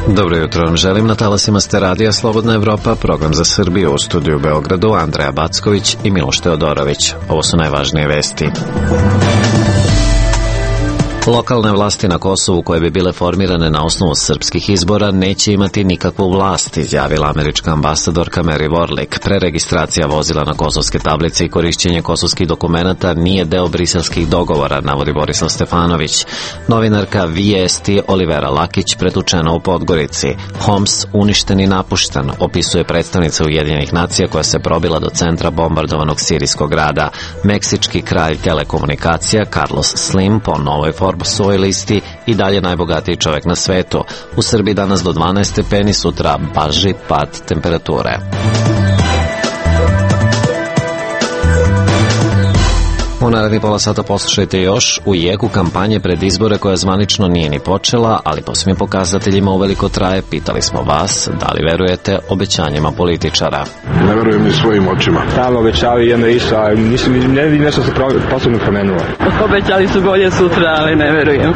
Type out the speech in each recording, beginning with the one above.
Dobro jutro vam želim, na talasima ste radija Slobodna Evropa, program za Srbiju, u studiju u Beogradu Andreja Backović i Miloš Teodorović. Ovo su najvažnije vesti. Lokalne vlasti na Kosovu koje bi bile formirane na osnovu srpskih izbora neće imati nikakvu vlast, izjavila američka ambasadorka Mary Warlick. Preregistracija vozila na kosovske tablice i korišćenje kosovskih dokumenata nije deo briselskih dogovora, navodi Borislav Stefanović. Novinarka Vijesti Olivera Lakić pretučena u Podgorici. Homs uništen i napušten, opisuje predstavnica Ujedinjenih nacija koja se probila do centra bombardovanog sirijskog grada. Meksički kralj telekomunikacija Carlos Slim po novoj Forbesovoj listi i dalje najbogatiji čovjek na svetu. U Srbiji danas do 12 stepeni, sutra blaži pad temperature. U narednih pola sata poslušajte još u jeku kampanje pred izbore koja zvanično nije ni počela, ali po svim pokazateljima uveliko traje. Pitali smo vas da li verujete obećanjima političara. Ne verujem ni svojim očima. Tamo obećali jedno isto, a ne vidim nešto se posebno promenilo. Obećali su bolje sutra, ali ne verujem.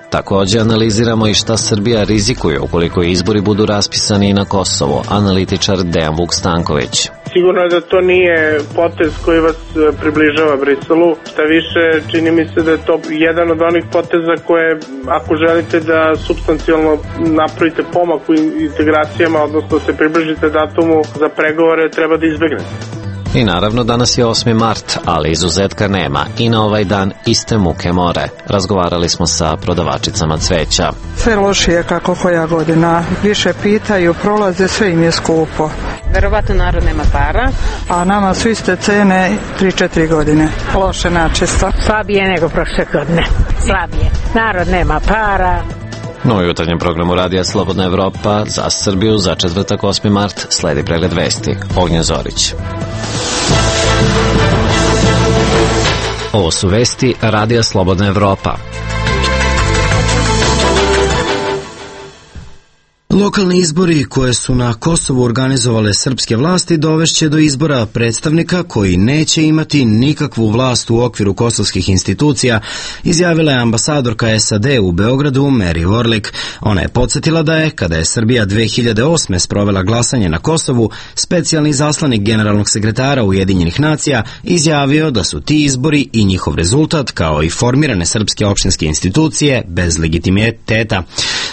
Također analiziramo i šta Srbija rizikuje ukoliko izbori budu raspisani i na Kosovu. Analitičar Dejan Vuk Stanković. Sigurno je da to nije potez koji vas približava Briselu. Šta više, čini mi se da je to jedan od onih poteza koje, ako želite da supstancijalno napravite pomak u integracijama, odnosno se približite datumu za pregovore, treba da izbegnete. I naravno danas je 8. mart, ali izuzetka nema i na ovaj dan iste muke more. Razgovarali smo sa prodavačicama cveća. Sve lošije kako koja godina. Više pitaju, prolaze, sve im je skupo. Verovatno narod nema para. A nama su iste cene 3-4 godine. Loše načisto. Slabije nego prošle godine. Slabije. Narod nema para. No, u jutarnjem programu radija Slobodna Evropa za Srbiju za četvrtak 8. mart sledi pregled vesti. Ognjen Zorić. Ovo su vesti radija Slobodna Evropa. Lokalni izbori koje su na Kosovu organizovale srpske vlasti dovešće do izbora predstavnika koji neće imati nikakvu vlast u okviru kosovskih institucija, izjavila je ambasadorka SAD u Beogradu Mary Warlick. Ona je podsjetila da je, kada je Srbija 2008. sprovela glasanje na Kosovu, specijalni izaslanik generalnog sekretara Ujedinjenih nacija izjavio da su ti izbori i njihov rezultat, kao i formirane srpske opštinske institucije, bez legitimiteta.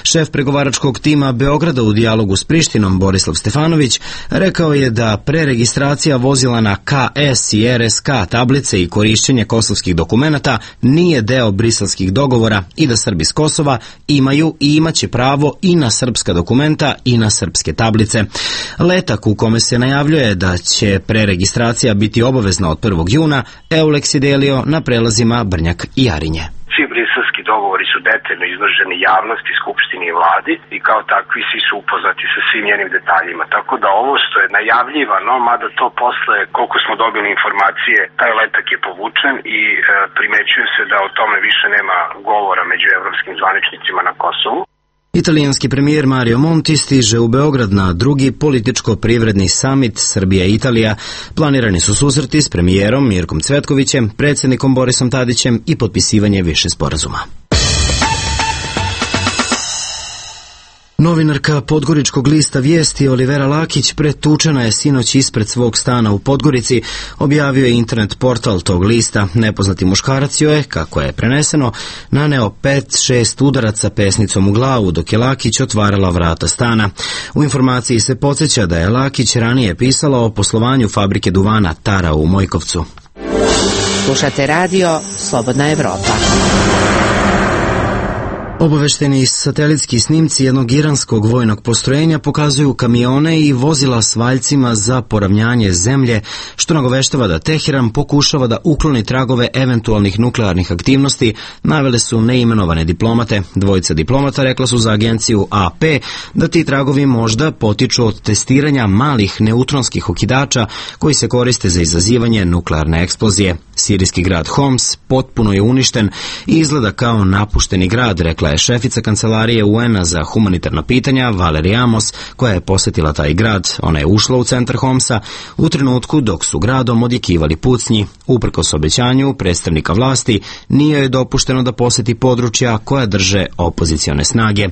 Šef pregovaračkog tima Beograda u dijalogu s Prištinom Borislav Stefanović rekao je da preregistracija vozila na KS i RSK tablice i korišćenje kosovskih dokumenata nije deo briselskih dogovora i da Srbi s Kosova imaju i imaće pravo i na srpska dokumenta i na srpske tablice. Letak u kome se najavljuje da će preregistracija biti obavezna od 1. juna, Eulex je delio na prelazima Brnjak i Jarinje. Dogovori su detaljno izloženi javnosti, skupštini i vladi i kao takvi svi su upoznati sa svim njenim detaljima. Tako da ovo što je najavljivano, mada to posle, koliko smo dobili informacije, taj letak je povučen i primećuje se da o tome više nema govora među evropskim zvaničnicima na Kosovu. Italijanski premijer Mario Monti stiže u Beograd na drugi političko-privredni samit Srbija i Italija. Planirani su susreti s premijerom Mirkom Cvetkovićem, predsjednikom Borisom Tadićem i potpisivanje više sporazuma. Novinarka Podgoričkog lista Vijesti Olivera Lakić pretučena je sinoć ispred svog stana u Podgorici, objavio je internet portal tog lista. Nepoznati muškarac joj je, kako je preneseno, naneo 5-6 udaraca pesnicom u glavu dok je Lakić otvarala vrata stana. U informaciji se podsjeća da je Lakić ranije pisala o poslovanju fabrike duvana Tara u Mojkovcu. Slušate radio Slobodna Evropa. Obavešteni satelitski snimci jednog iranskog vojnog postrojenja pokazuju kamione i vozila s valjcima za poravnjanje zemlje, što nagoveštava da Teheran pokušava da ukloni tragove eventualnih nuklearnih aktivnosti, navele su neimenovane diplomate. Dvojica diplomata rekla su za agenciju AP da ti tragovi možda potiču od testiranja malih neutronskih okidača koji se koriste za izazivanje nuklearne eksplozije. Sirijski grad Homs potpuno je uništen i izgleda kao napušteni grad, rekla je šefica kancelarije UN-a za humanitarna pitanja Valerija Amos, koja je posjetila taj grad. Ona je ušla u centar Homsa u trenutku dok su gradom odjekivali pucnji. Uprkos obećanju predstavnika vlasti, nije joj dopušteno da posjeti područja koja drže opozicione snage.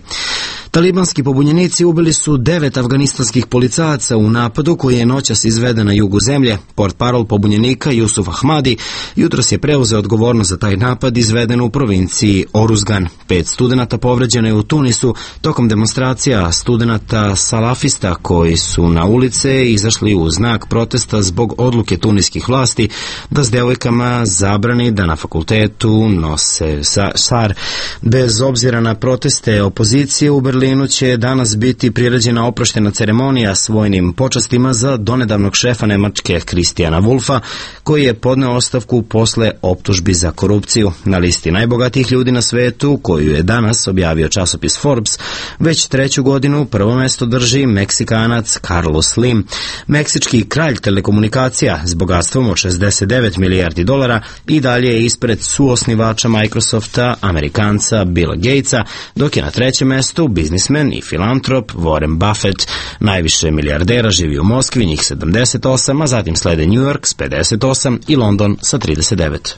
Talibanski pobunjenici ubili su 9 afganistanskih policajaca u napadu koji je noćas izveden na jugu zemlje. Portparol pobunjenika Jusuf Ahmadi jutros je preuzeo odgovornost za taj napad izveden u provinciji Oruzgan. 5 studenata povređeno je u Tunisu tokom demonstracija studenata salafista koji su na ulice izašli u znak protesta zbog odluke tuniskih vlasti da s devojkama zabrani da na fakultetu nose šar. Bez obzira na proteste opozicije, u Berlinu će danas biti priređena oproštena ceremonija s vojnim počastima za donedavnog šefa Nemačke Christiana Wulfa, koji je podneo ostavku posle optužbi za korupciju. Na listi najbogatijih ljudi na svetu, koju je danas objavio časopis Forbes, već 3. godinu prvo mesto drži Meksikanac Carlos Slim. Meksički kralj telekomunikacija s bogatstvom od 69 milijardi dolara i dalje je ispred suosnivača Microsofta, Amerikanca Billa Gatesa, dok je na 3. mestu biznismen i filantrop Warren Buffett. Najviše milijardera živi u Moskvi, njih 78, a zatim slede New York s 58 i London sa 39.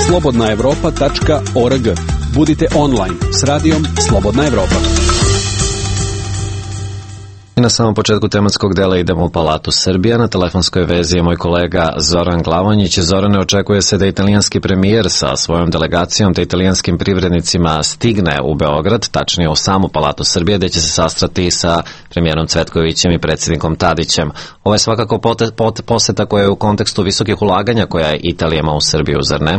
slobodnaevropa.org. Budite online s radijom Slobodna Evropa. I na samom početku tematskog dela idemo u Palatu Srbija. Na telefonskoj vezi je moj kolega Zoran Glavonjić. Zorane, očekuje se da italijanski premijer sa svojom delegacijom te italijanskim privrednicima stigne u Beograd, tačnije u samu Palatu Srbije, gde će se sastrati sa premijerom Cvetkovićem i predsjednikom Tadićem. Ovo je svakako poseta koja je u kontekstu visokih ulaganja koja Italija ima u Srbiju, zar ne?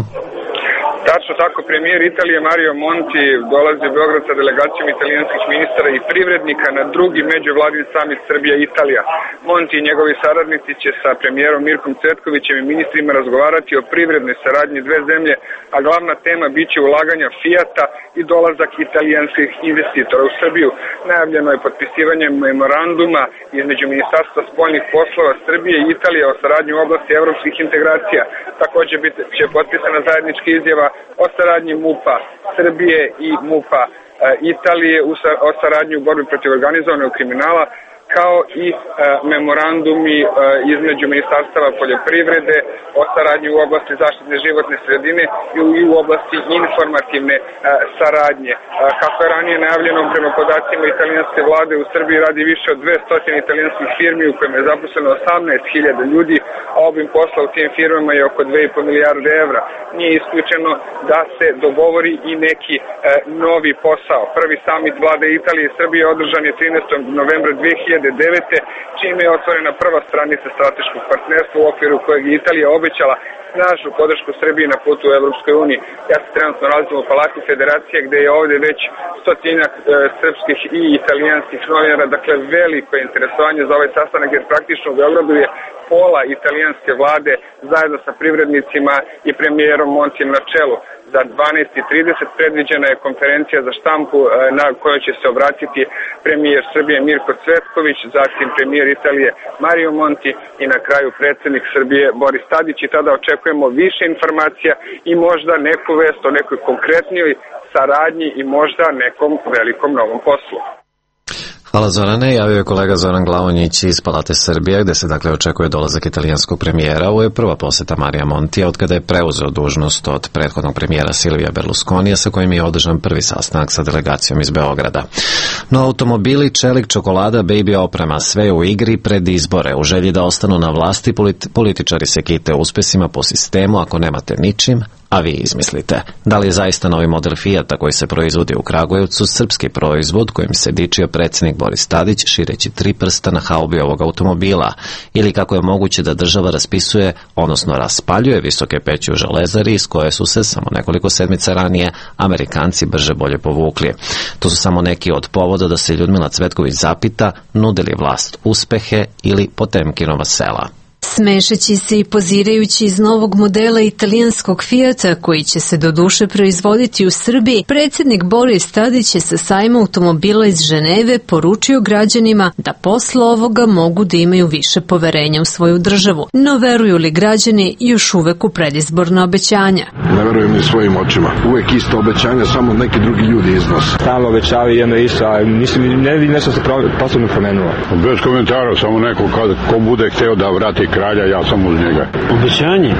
Tačno tako, premijer Italije Mario Monti dolazi u Beograd sa delegacijom italijanskih ministara i privrednika na drugi međuvladin samit Srbija-Italija. Monti i njegovi saradnici će sa premijerom Mirkom Cvetkovićem i ministrima razgovarati o privrednoj saradnji dve zemlje, a glavna tema biće ulaganja Fijata i dolazak italijanskih investitora u Srbiju. Najavljeno je potpisivanje memoranduma između Ministarstva spoljnih poslova Srbije i Italije o saradnji u oblasti evropskih integracija. Također će potpisana zajednička izjava o saradnji MUP-a Srbije i MUP-a Italije o saradnji u borbi protiv organizovanog kriminala, kao i memorandumi između ministarstava poljoprivrede o saradnji u oblasti zaštite životne sredine i u oblasti informativne saradnje. Kako je ranije najavljeno, prema podacima italijanske vlade, u Srbiji radi više od 200 italijanskih firmi u kojima je zaposleno 18.000 ljudi, a obim posla u tim firmama je oko 2,5 milijarde evra. Nije isključeno da se dogovori i neki novi posao. Prvi samit vlade Italije i Srbije održan je 13. novembra 2009. čime je otvorena prva stranica strateškog partnerstva u okviru kojeg je Italija obećala snažnu podršku Srbiji na putu u Evropskoj uniji. Ja se trenutno nalazim u Palati Federacije, gde je ovde već stotinjak srpskih i italijanskih novinara, dakle veliko interesovanje za ovaj sastanak, jer praktično u Beogradu je pola italijanske vlade zajedno sa privrednicima i premijerom Montijem na čelu. Za 12:30 predviđena je konferencija za štampu na kojoj će se obratiti premijer Srbije Mirko Cvetković, zatim premijer Italije Mario Monti i na kraju predsjednik Srbije Boris Tadić, i tada očekujemo više informacija i možda neku vest o nekoj konkretnijoj saradnji i možda nekom velikom novom poslu. Hvala Zorane, javio je kolega Zoran Glavonjić iz Palate Srbije, gde se dakle očekuje dolazak italijanskog premijera. Ovo je prva poseta Marija Montija od kada je preuzeo dužnost od prethodnog premijera Silvija Berlusconija, sa kojim je održan prvi sastanak sa delegacijom iz Beograda. No automobili, čelik, čokolada, baby oprema, sve u igri pred izbore. U želji da ostanu na vlasti, političari se kite uspesima po sistemu: ako nemate ničim, a vi izmislite. Da li je zaista novi model Fijata koji se proizvodi u Kragujevcu srpski proizvod kojim se dičio predsjednik Boris Tadić šireći 3 prsta na haubi ovog automobila? Ili kako je moguće da država raspisuje, odnosno raspaljuje visoke peći u Železari iz koje su se samo nekoliko sedmica ranije Amerikanci brže bolje povukli? To su samo neki od povoda da se Ljudmila Cvetković zapita nude li vlast uspehe ili Potemkinova sela. Smešeći se i pozirajući iz novog modela italijanskog Fijata koji će se doduše proizvoditi u Srbiji, predsjednik Boris Tadić je sa sajma automobila iz Ženeve poručio građanima da posle ovoga mogu da imaju više poverenja u svoju državu. No veruju li građani još uvek u predizborna obećanja? Ne verujem ni svojim očima. Uvek isto obećanja, samo neki drugi ljudi iznose. Stalno obećavaju jedno isto, a ne vidim nešto se posebno promenilo. Bez komentara, samo neko ko bude hteo da vrati kraj kralja, ja sam uz njega. Obećanje?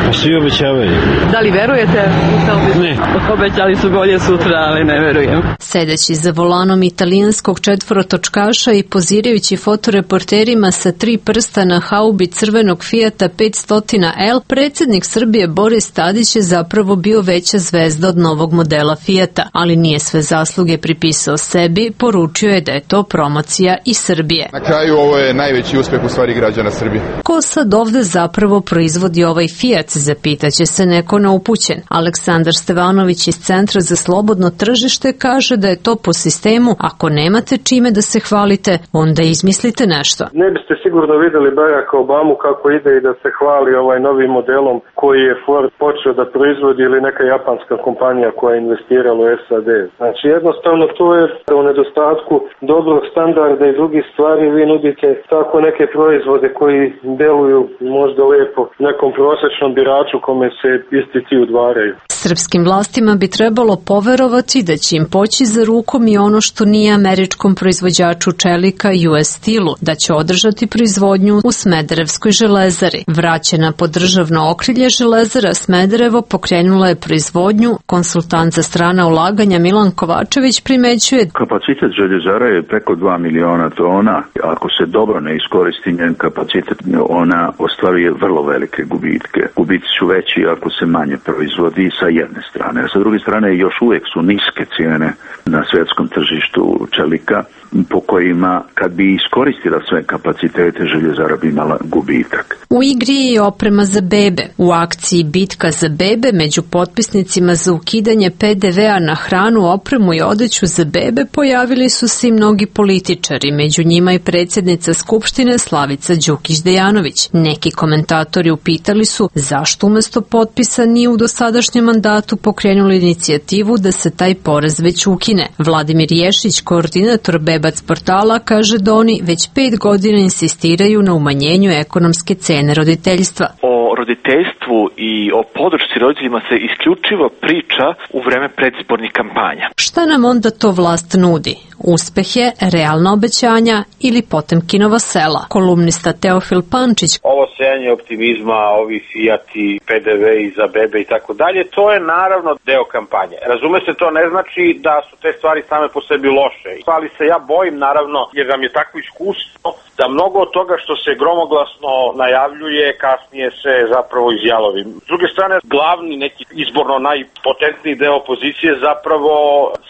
Pa svi obećavaju. Da li verujete u to obećanje? Ne. Obećali su bolje sutra, ali ne verujem. Sedeći za volanom italijanskog četvorotočkaša i pozirajući fotoreporterima sa 3 prsta na haubi crvenog Fijata 500L, predsjednik Srbije Boris Tadić je zapravo bio veća zvezda od novog modela Fijata, ali nije sve zasluge pripisao sebi, poručio je da je to promocija i Srbije. Na kraju ovo je najveći uspeh u stvari građana Srbije. Ko sad ovde zapravo proizvodi ovaj Fijat, zapitaće se neko neupućen. Aleksandar Stevanović iz Centra za slobodno tržište kaže da je to po sistemu ako nemate čime da se hvalite, onda izmislite nešto. Ne biste sigurno videli Baracka Obamu kako ide i da se hvali novim modelom koji je Ford počeo da proizvodi ili neka japanska kompanija koja je investirala u SAD. Znači jednostavno to je u nedostatku dobrog standarda i drugih stvari vi nudite tako neke proizvode koji deluju možda lepo nekom prosječnom biraču kome se isti ti udvaraju. Srpskim vlastima bi trebalo poverovati da će im poći za rukom i ono što nije američkom proizvođaču čelika US Steelu, da će održati proizvodnju u Smederevskoj železari. Vraćena pod državno okrilje železara Smederevo pokrenula je proizvodnju. Konsultant za strana ulaganja Milan Kovačević primećuje: kapacitet željezara je preko 2 miliona tona. Ako se dobro ne iskoristi njen kapacitet, ona ostvaruje vrlo velike gubitke. Gubici su veći ako se manje proizvodi sa jedne strane. Sa druge strane još uvijek su niske cijene na svjetskom tržištu čelika, po kojima kad bi iskoristila sve kapacitete željezara bi imala gubitak. U igri je oprema za bebe. U akciji Bitka za bebe među potpisnicima za ukidanje PDV-a na hranu, opremu i odeću za bebe pojavili su se i mnogi političari, među njima i predsjednica Skupštine Slavica Đukić-Dejanović. Neki komentatori upitali su zašto umesto potpisa nije u dosadašnjem mandatu pokrenuli inicijativu da se taj porez već ukine. Vladimir Ješić, koordinator Bebac portala, kaže da oni već 5 godina insistiraju na umanjenju ekonomske cene roditeljstva. O roditeljstvu i o podršci roditeljima se isključivo priča u vreme predizbornih kampanja. Šta nam onda to vlast nudi? Uspehe, realna obećanja ili Potemkinova sela? Kolumnista Teofil Pančić: ovo sejanje optimizma, ovi Fijati, PDV i za bebe i tako dalje, to je naravno deo kampanje. Razume se, to ne znači da su te stvari same po sebi loše. Ali se ja bojim, naravno, jer nam je takvo iskustvo da mnogo od toga što se gromoglasno najavljuje kasnije se zapravo izjalovi. S druge strane, glavni neki izborno najpotentniji deo opozicije zapravo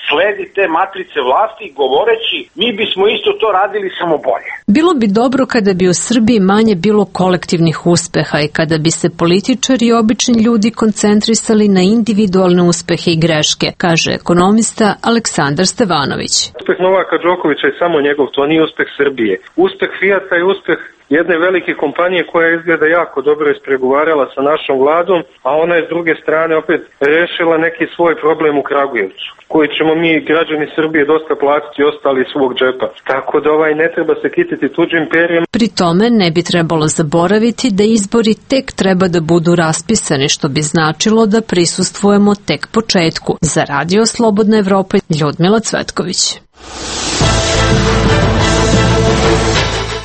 sledi te matrice vlasti govoreći mi bismo isto to radili samo bolje. Bilo bi dobro kada bi u Srbiji manje bilo kolektivnih uspeha i kada bi se političari i obični ljudi koncentrisali na individualne uspehe i greške, kaže ekonomista Aleksandar Stevanović. Uspeh Novaka Đokovića je samo njegov, to nije uspeh Srbije. Uspeh Fijata je uspeh jedne velike kompanije koja izgleda jako dobro ispregovarala sa našom vladom, a ona je s druge strane opet rešila neki svoj problem u Kragujevcu, koji ćemo mi građani Srbije dosta platiti ostali iz svog džepa. Tako da ne treba se kititi tuđim perjem. Pri tome ne bi trebalo zaboraviti da izbori tek treba da budu raspisani, što bi značilo da prisustvujemo tek početku. Za Radio Slobodna Evropa, Ljudmila Cvetković.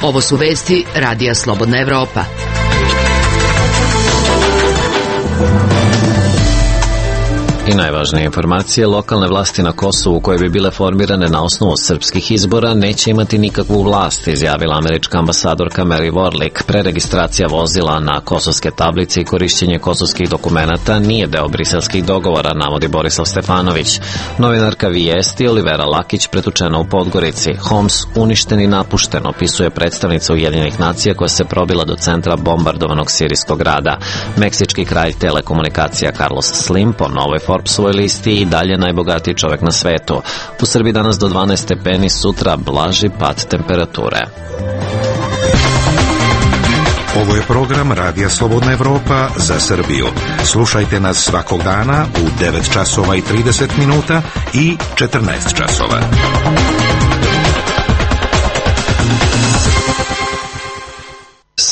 Ovo su vesti Radija Slobodna Evropa. I najvažnije informacije, lokalne vlasti na Kosovu koje bi bile formirane na osnovu srpskih izbora neće imati nikakvu vlast, izjavila američka ambasadorka Mary Warlick. Preregistracija vozila na kosovske tablice i korišćenje kosovskih dokumenata nije deo briselskih dogovora, navodi Borislav Stefanović. Novinarka Vijesti Olivera Lakić pretučena u Podgorici. Homs uništen i napušten, opisuje predstavnica Ujedinjenih nacija koja se probila do centra bombardovanog sirijskog grada. Meksički kralj telekomunikacija Carlos Slim po novoj Forbesovoj listi i dalje najbogatiji čovjek na svetu. U Srbiji danas do 12 stepeni, sutra blaži pad temperature. Ovo je program Radija Slobodna Evropa za Srbiju. Slušajte nas svakog dana u 9 časova i 30 minuta i 14 časova.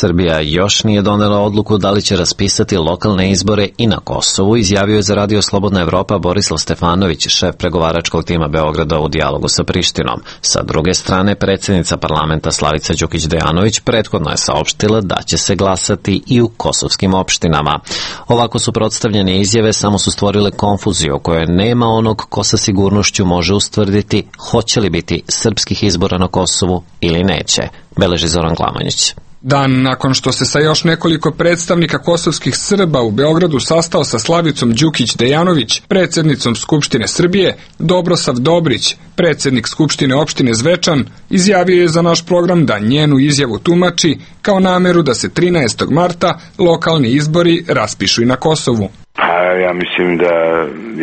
Srbija još nije donela odluku da li će raspisati lokalne izbore i na Kosovu, izjavio je za Radio Slobodna Evropa Borislav Stefanović, šef pregovaračkog tima Beograda u dijalogu sa Prištinom. Sa druge strane, predsjednica parlamenta Slavica Đukić-Dejanović prethodno je saopštila da će se glasati i u kosovskim opštinama. Ovako suprotstavljene izjave samo su stvorile konfuziju u kojoj nema onog ko sa sigurnošću može ustvrditi hoće li biti srpskih izbora na Kosovu ili neće, beleži Zoran Glamonjić. Dan nakon što se sa još nekoliko predstavnika kosovskih Srba u Beogradu sastao sa Slavicom Đukić-Dejanović, predsjednicom Skupštine Srbije, Dobrosav Dobrić, predsjednik Skupštine opštine Zvečan, izjavio je za naš program da njenu izjavu tumači kao nameru da se 13. marta lokalni izbori raspišu i na Kosovu. Ja mislim da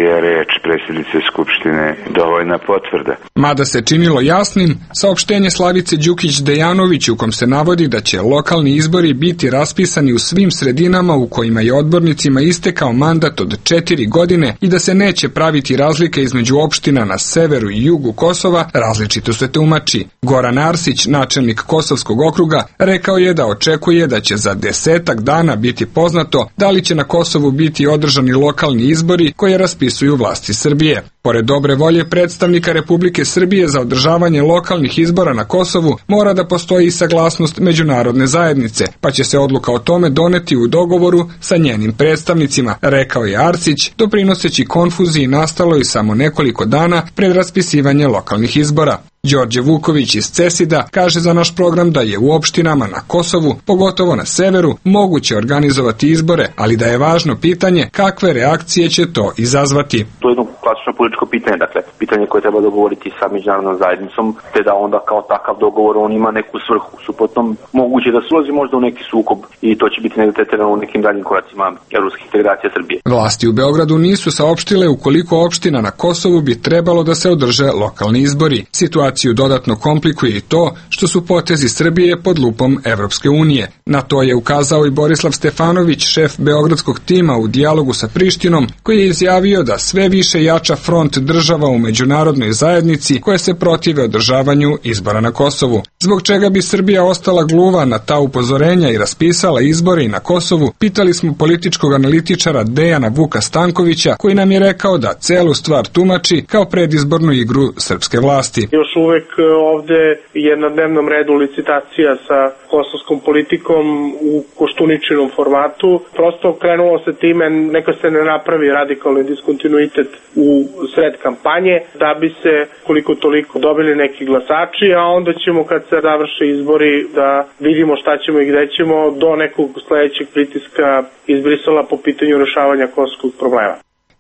je reč predsjednice Skupštine dovoljna potvrda. Mada se činilo jasnim, saopštenje Slavice Đukić-Dejanović u kom se navodi da će lokalni izbori biti raspisani u svim sredinama u kojima je odbornicima istekao mandat od 4 godine i da se neće praviti razlika između opština na severu i jugu Kosova, različito se tumači. Goran Arsić, načelnik Kosovskog okruga, rekao je da očekuje da će za 10 dana biti poznato da li će na Kosovu biti održani lokalni izbori koje raspisuju vlasti Srbije. Pored dobre volje predstavnika Republike Srbije za održavanje lokalnih izbora na Kosovu, mora da postoji i saglasnost međunarodne zajednice, pa će se odluka o tome doneti u dogovoru sa njenim predstavnicima, rekao je Arsić, doprinoseći konfuziji nastaloj samo nekoliko dana pred raspisivanje lokalnih izbora. Đorđe Vuković iz Cesida kaže za naš program da je u opštinama na Kosovu, pogotovo na severu, moguće organizovati izbore, ali da je važno pitanje kakve reakcije će to izazvati. To je jedno klasično političko pitanje, dakle, pitanje koje treba dogovoriti sa međunarodnom zajednicom, te da onda kao takav dogovor on ima neku svrhu. Suprotno, moguće da se ulazi možda u neki sukob i to će biti negdje tretirano u nekim daljim koracima evropskih integracija Srbije. Vlasti u Beogradu nisu saopštile u koliko opština na Kosovu bi trebalo da se održe lokalni izbori. Situaciju dodatno komplikuje i to što su potezi Srbije pod lupom Evropske unije. Na to je ukazao i Borislav Stefanović, šef beogradskog tima u dijalogu sa Prištinom, koji je izjavio da sve više jača front država u međunarodnoj zajednici koje se protive održavanju izbora na Kosovu. Zbog čega bi Srbija ostala gluva na ta upozorenja i raspisala izbore i na Kosovu, pitali smo političkog analitičara Dejana Vuka Stankovića, koji nam je rekao da celu stvar tumači kao predizbornu igru srpske vlasti. Još uvek ovde je na dnevnom redu licitacija sa kosovskom politikom u Koštuničinom formatu. Prosto krenulo se time, neka se ne napravi radikalni diskontinuitet u sred kampanje, da bi se koliko toliko dobili neki glasači, a onda ćemo kad se završe izbori da vidimo šta ćemo i gde ćemo do nekog sledećeg pritiska iz Brisela po pitanju rešavanja kosovskog problema.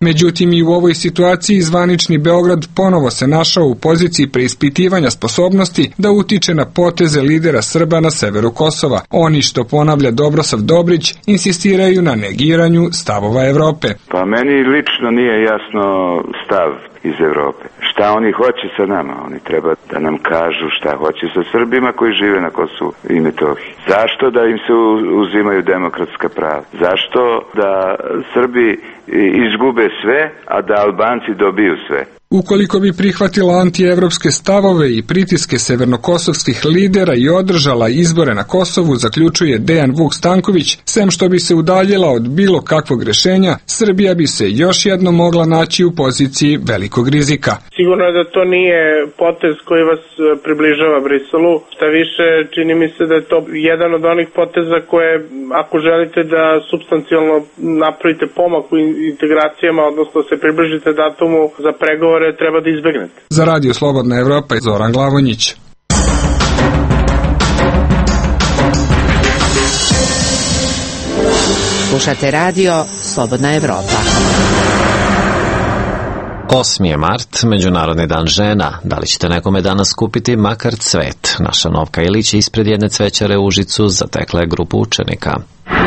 Međutim, i u ovoj situaciji zvanični Beograd ponovo se našao u poziciji preispitivanja sposobnosti da utiče na poteze lidera Srba na severu Kosova. Oni, što ponavlja Dobrosav Dobrić, insistiraju na negiranju stavova Evrope. Pa meni lično nije jasno stav iz Evrope. Šta oni hoće sa nama? Oni treba da nam kažu šta hoće sa Srbima koji žive na Kosovu i Metohiji. Zašto da im se uzimaju demokratska prava? Zašto da Srbi izgube sve, a da Albanci dobiju sve? Ukoliko bi prihvatila antievropske stavove i pritiske severnokosovskih lidera i održala izbore na Kosovu, zaključuje Dejan Vuk Stanković, sem što bi se udaljila od bilo kakvog rešenja, Srbija bi se još jednom mogla naći u poziciji velikog rizika. Sigurno je da to nije potez koji vas približava Briselu. Šta više, čini mi se da je to jedan od onih poteza koje, ako želite da supstancijalno napravite pomak u integracijama, odnosno se približite datumu za pregovore, treba da izbegnete. Za Radio Slobodna Evropa, Zoran Glavonjić. Slušate Radio Slobodna Evropa. 8. je mart, Međunarodni dan žena. Da li ćete nekome danas kupiti makar cvet? Naša Novka Ilić ispred jedne cvećare u Užicu zatekla je grupu učenika.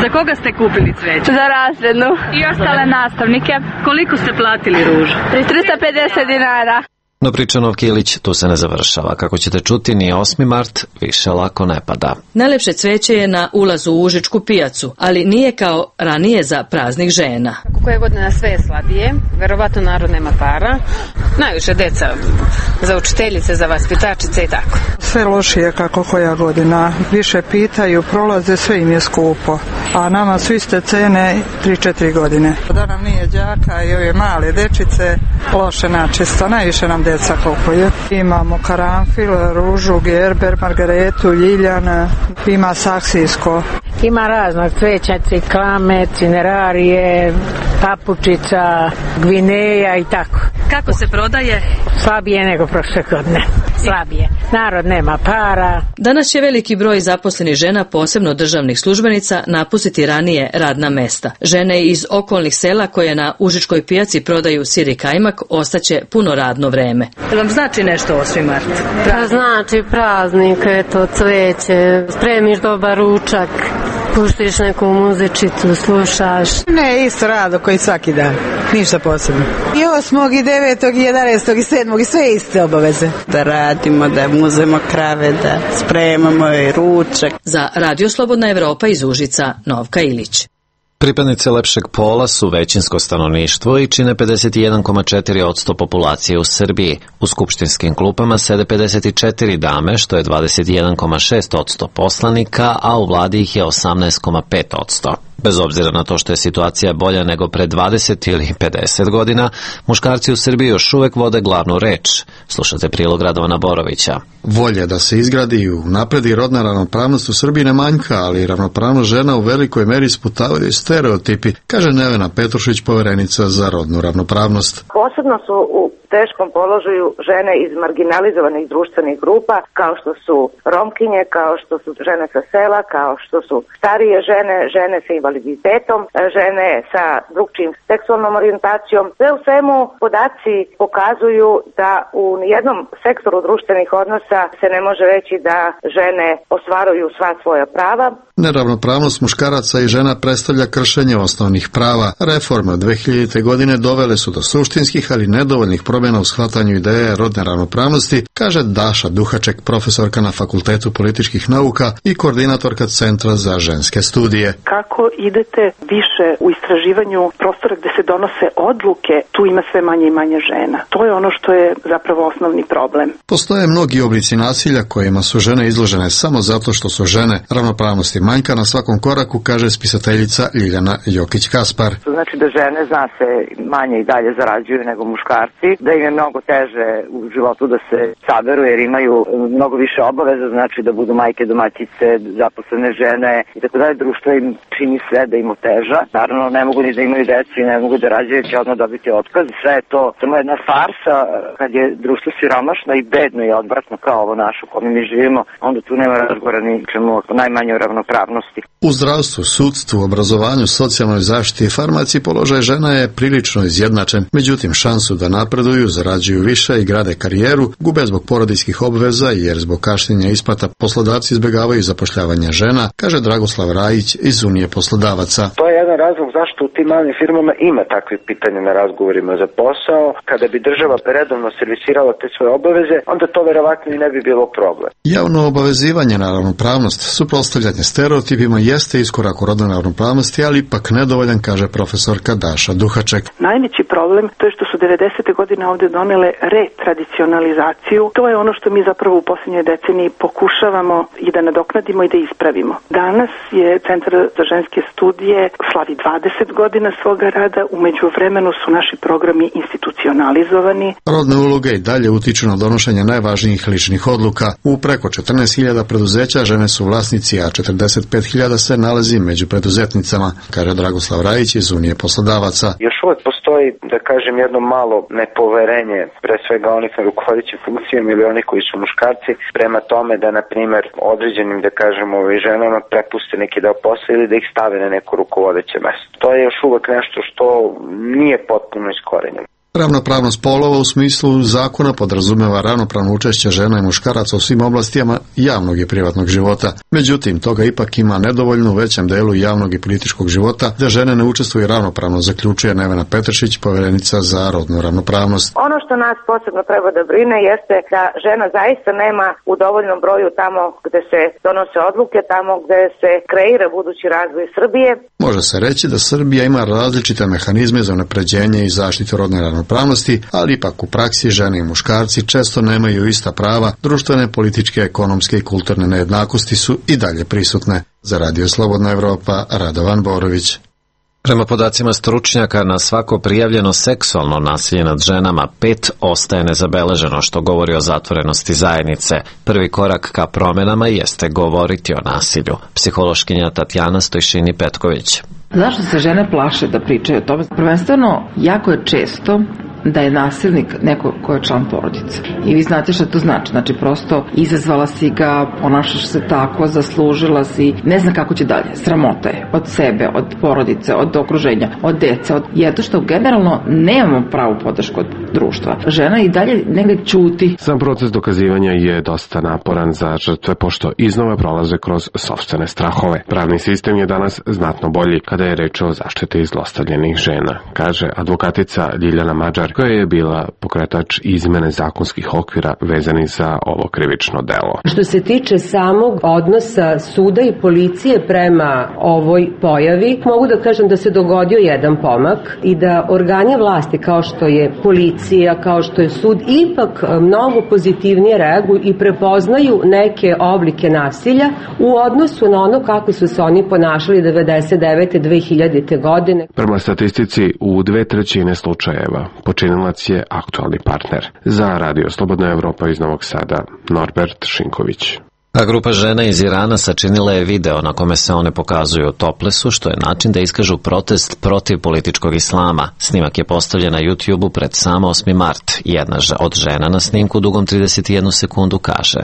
Za koga ste kupili cveće? Za razrednu. I ostale nastavnike. Koliko ste platili ružu? 350 dinara. No priča Novke Ilić tu se ne završava. Kako ćete čuti, ni 8. mart više lako ne pada. Najlepše cveće je na ulazu u Užičku pijacu, ali nije kao ranije za praznik žena. Koje godine sve je slabije, verovatno narod nema para, najviše deca za učiteljice, za vaspitačice i tako. Sve lošije kako koja godina, više pitaju, prolaze, sve im je skupo, a nama su iste cene 3-4 godine. Da nam nije đaka i ove male dečice, loše načisto, najviše nam deca kupuju. Imamo karanfil, ružu, gerber, margaretu, ljiljana, ima saksijsko. Ima raznog cveća, ciklame, cinerarije, papučica, gvineja i tako. Kako se prodaje? Slabije nego prošle godine. Slabije. Narod nema para. Danas će veliki broj zaposlenih žena, posebno državnih službenica, napustiti ranije radna mesta. Žene iz okolnih sela koje na Užičkoj pijaci prodaju sir i kajmak ostaće puno radno vreme. Vam znači nešto 8. mart? Znači praznik, eto, cveće, spremiš dobar ručak, puštiš neku muzičicu, slušaš. Ne, isto rado koji svaki dan, ništa posebno. I 8. i 9. i 11. i 7. i sve iste obaveze. Da radimo, da muzemo krave, da spremamo i ručak. Za Radio Slobodna Evropa iz Užica, Novka Ilić. Pripadnice lepšeg pola su većinsko stanovništvo i čine 51,4% populacije u Srbiji. U skupštinskim klupama sede 54 dame, što je 21,6% poslanika, a u vladi ih je 18,5%. Bez obzira na to što je situacija bolja nego pre 20 ili 50 godina, muškarci u Srbiji još uvek vode glavnu reč. Slušate prilog Radovana Borovića. Volje da se izgradi i unapredi rodna ravnopravnost u Srbiji ne manjka, ali ravnopravnost žena u velikoj meri sputavaju stereotipi, kaže Nevena Petrušić, poverenica za rodnu ravnopravnost. Posebno su u teškom položaju žene iz marginalizovanih društvenih grupa, kao što su romkinje, kao što su žene sa sela, kao što su starije žene, žene sa invaliditetom, žene sa drugčijim seksualnom orijentacijom. Sve u svemu podaci pokazuju da u jednom sektoru društvenih odnosa se ne može reći da žene ostvaruju sva svoja prava. Neravnopravnost muškaraca i žena predstavlja kršenje osnovnih prava. Reforme od 2000. godine dovele su do suštinskih, ali nedovoljnih promjena u shvatanju ideje rodne ravnopravnosti, kaže Daša Duhaček, profesorka na Fakultetu političkih nauka i koordinatorka Centra za ženske studije. Kako idete više u istraživanju prostora gde se donose odluke, tu ima sve manje i manje žena. To je ono što je zapravo osnovni problem. Postoje mnogi oblici nasilja kojima su žene izložene samo zato što su žene. Ravnopravnosti manjka na svakom koraku, kaže spisateljica Ljiljana Jokić-Kaspar. Znači da žene, zna se, manje i dalje zarađuju nego muškarci, da im je mnogo teže u životu da se saberu jer imaju mnogo više obaveza, znači da budu majke, domaćice, zaposlene žene i tako dalje. Društvo im čini sve da im oteža. Naravno ne mogu ni da imaju decu i ne mogu da rađaju, će odmah dobiti otkaz. Sve je to samo jedna farsa. Kad je društvo siromašno i bedno i odvratno kao ovo naše u kome mi živimo, onda tu nema razgovora ni čemu, najmanje o ravnopravnosti. U zdravstvu, sudstvu, obrazovanju, socijalnoj zaštiti i farmaciji položaj žena je prilično izjednačen. Međutim, šansu da napreduju, zarađuju više i grade karijeru, gube zbog porodiljskih obveza jer zbog kašnjenja isplata poslodavci izbjegavaju zapošljavanje žena, kaže Dragoslav Rajić iz Unije poslodavaca. To je jedan razlog zašto u tim malim firmama ima takve pitanja na razgovorima za posao. Kada bi država redovno servisirala te svoje obaveze, onda to verovatno i ne bi bilo problem. Javno obavezivanje na ravnopravnost, suprotstavljanje stereotipima jeste iskorak u rodnoj ravnopravnosti, ali ipak nedovoljan, kaže profesorka Daša Duhaček. Najveći problem to je što su 90. godine ovde donele retradicionalizaciju. To je ono što mi zapravo u posljednjoj deceniji pokušavamo i da nadoknadimo i da ispravimo. Danas je Centar za ženske studije slavi 20 godina svoga rada, u međuvremenu su naši programi institucionalizovani. Rodne uloge i dalje utiču na donošenje najvažnijih ličnih odluka. U preko 14.000 preduzeća žene su vlasnici, a 45.000 se nalazi među preduzetnicama, kaže Dragoslav Rajić iz Unije poslodavaca. Još uvek postoji, da kažem, jedno malo nepoverenje, pre svega onih na rukovodećim funkcijama ili oni koji su muškarci, prema tome da, na primjer, određenim, da kažemo, ženama prepuste neki deo posla ili da ih stave na neko rukovodeće mesto. To je još uvek nešto što nije potpuno iskorenjeno. Ravnopravnost polova u smislu zakona podrazumeva ravnopravno učešće žena i muškaraca u svim oblastima javnog i privatnog života. Međutim, toga ipak ima nedovoljno u većem delu javnog i političkog života, da žene ne učestvuju ravnopravno, zaključuje Nevena Petršić, povjerenica za rodnu ravnopravnost. Ono što nas posebno treba da brine jeste da žena zaista nema u dovoljnom broju tamo gde se donose odluke, tamo gde se kreira budući razvoj Srbije. Može se reći da Srbija ima različite mehanizme za unapređenje i zaštitu rodne ravnopravnosti, ali ipak u praksi žene i muškarci često nemaju ista prava, društvene, političke, ekonomske i kulturne nejednakosti su i dalje prisutne. Za Radio Slobodna Evropa, Radovan Borović. Prema podacima stručnjaka, na svako prijavljeno seksualno nasilje nad ženama 5 ostaje nezabeleženo, što govori o zatvorenosti zajednice. Prvi korak ka promenama jeste govoriti o nasilju. Psihološkinja Tatjana Stojšini-Petković. Zašto se žene plaše da pričaju o tome? Prvenstveno, jako je često da je nasilnik neko ko je član porodice. I vi znate šta to znači. Znači, prosto izazvala si ga, ponašaš se tako, zaslužila si, ne zna kako će dalje. Sramota je od sebe, od porodice, od okruženja, od dece, jedno što generalno nemamo pravu podršku od društva. Žena i dalje negdje ćuti. Sam proces dokazivanja je dosta naporan za žrtve, pošto iznova prolaze kroz sopstvene strahove. Pravni sistem je danas znatno bolji kada je reč o zaštiti zlostavljenih žena, kaže advokatica Ljiljana Mađar, koja je bila pokretač izmene zakonskih okvira vezanih za ovo krivično delo. Što se tiče samog odnosa suda i policije prema ovoj pojavi, mogu da kažem da se dogodio jedan pomak i da organi vlasti kao što je policija, kao što je sud, ipak mnogo pozitivnije reaguju i prepoznaju neke oblike nasilja u odnosu na ono kako su se oni ponašali 99. 2000. godine. Prema statistici, u 2/3 slučajeva počinilac je aktualni partner. Za Radio Slobodna Evropa iz Novog Sada, Norbert Šinković. A grupa žena iz Irana sačinila je video na kome se one pokazuju u toplesu, što je način da iskažu protest protiv političkog islama. Snimak je postavljen na YouTube-u pred samo 8. mart. Jedna od žena na snimku dugom 31 sekundu kaže: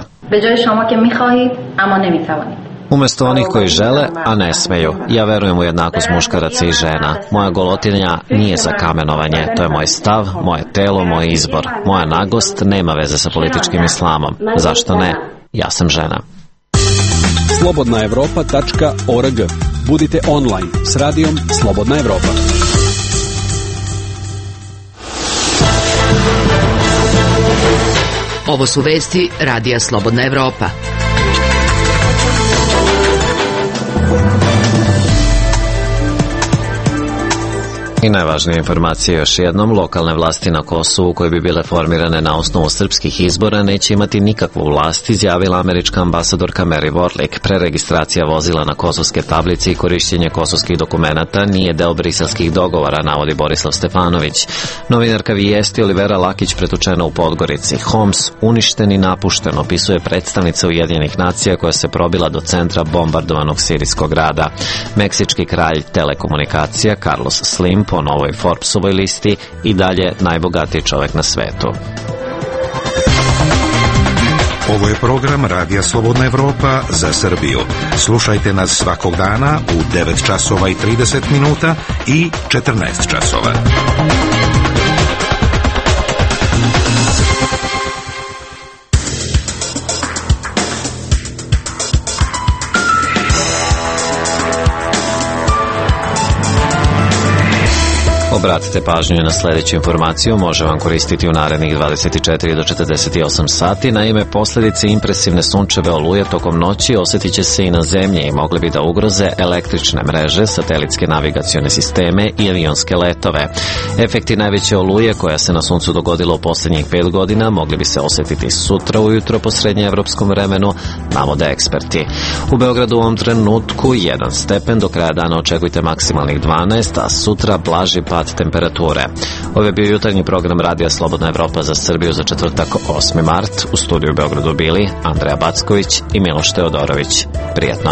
Umesto onih koji žele, a ne smeju. Ja verujem u jednakost muškaraca i žena. Moja golotinja nije za kamenovanje. To je moj stav, moje telo, moj izbor. Moja naglost nema veze sa političkim islamom. Zašto ne? Ja sam žena. slobodnaevropa.org. Budite online s radijom Slobodna Evropa. Ovo su vesti Radija Slobodna Evropa. I najvažnije informacije još jednom, lokalne vlasti na Kosovu koje bi bile formirane na osnovu srpskih izbora neće imati nikakvu vlast, izjavila američka ambasadorka Mary Warlick. Preregistracija vozila na kosovske tablice i korišćenje kosovskih dokumenata nije deo briselskih dogovora, navodi Borislav Stefanović. Novinarka Vijesti Olivera Lakić pretučena u Podgorici. Homs uništen i napušten, opisuje predstavnica Ujedinjenih nacija koja se probila do centra bombardovanog sirijskog grada. Meksički kralj telekomunikacija Carlos Slim po novoj Forbesovoj listi i dalje najbogatiji čovjek na svetu. Ovo je program Radija Slobodna Evropa za Srbiju. Slušajte nas svakog dana u 9 časova i 30 minuta i 14 časova. Obratite pažnju na sljedeću informaciju, može vam koristiti u narednih 24 do 48 sati. Naime, posljedice impresivne sunčeve oluje tokom noći osjetit će se i na zemlji i mogli bi da ugroze električne mreže, satelitske navigacione sisteme i avionske letove. Efekti najveće oluje koja se na suncu dogodila u posljednjih 5 godina mogli bi se osjetiti sutra ujutro po srednjeevropskom vremenu, navode eksperti. U Beogradu u ovom trenutku 1 stepen, do kraja dana očekujte maksimalnih 12, a sutra blaži pad temperature. Ovo je bio jutarnji program Radija Slobodna Evropa za Srbiju za četvrtak 8. mart. U studiju u Beogradu bili Andreja Backović i Miloš Teodorović. Prijetno.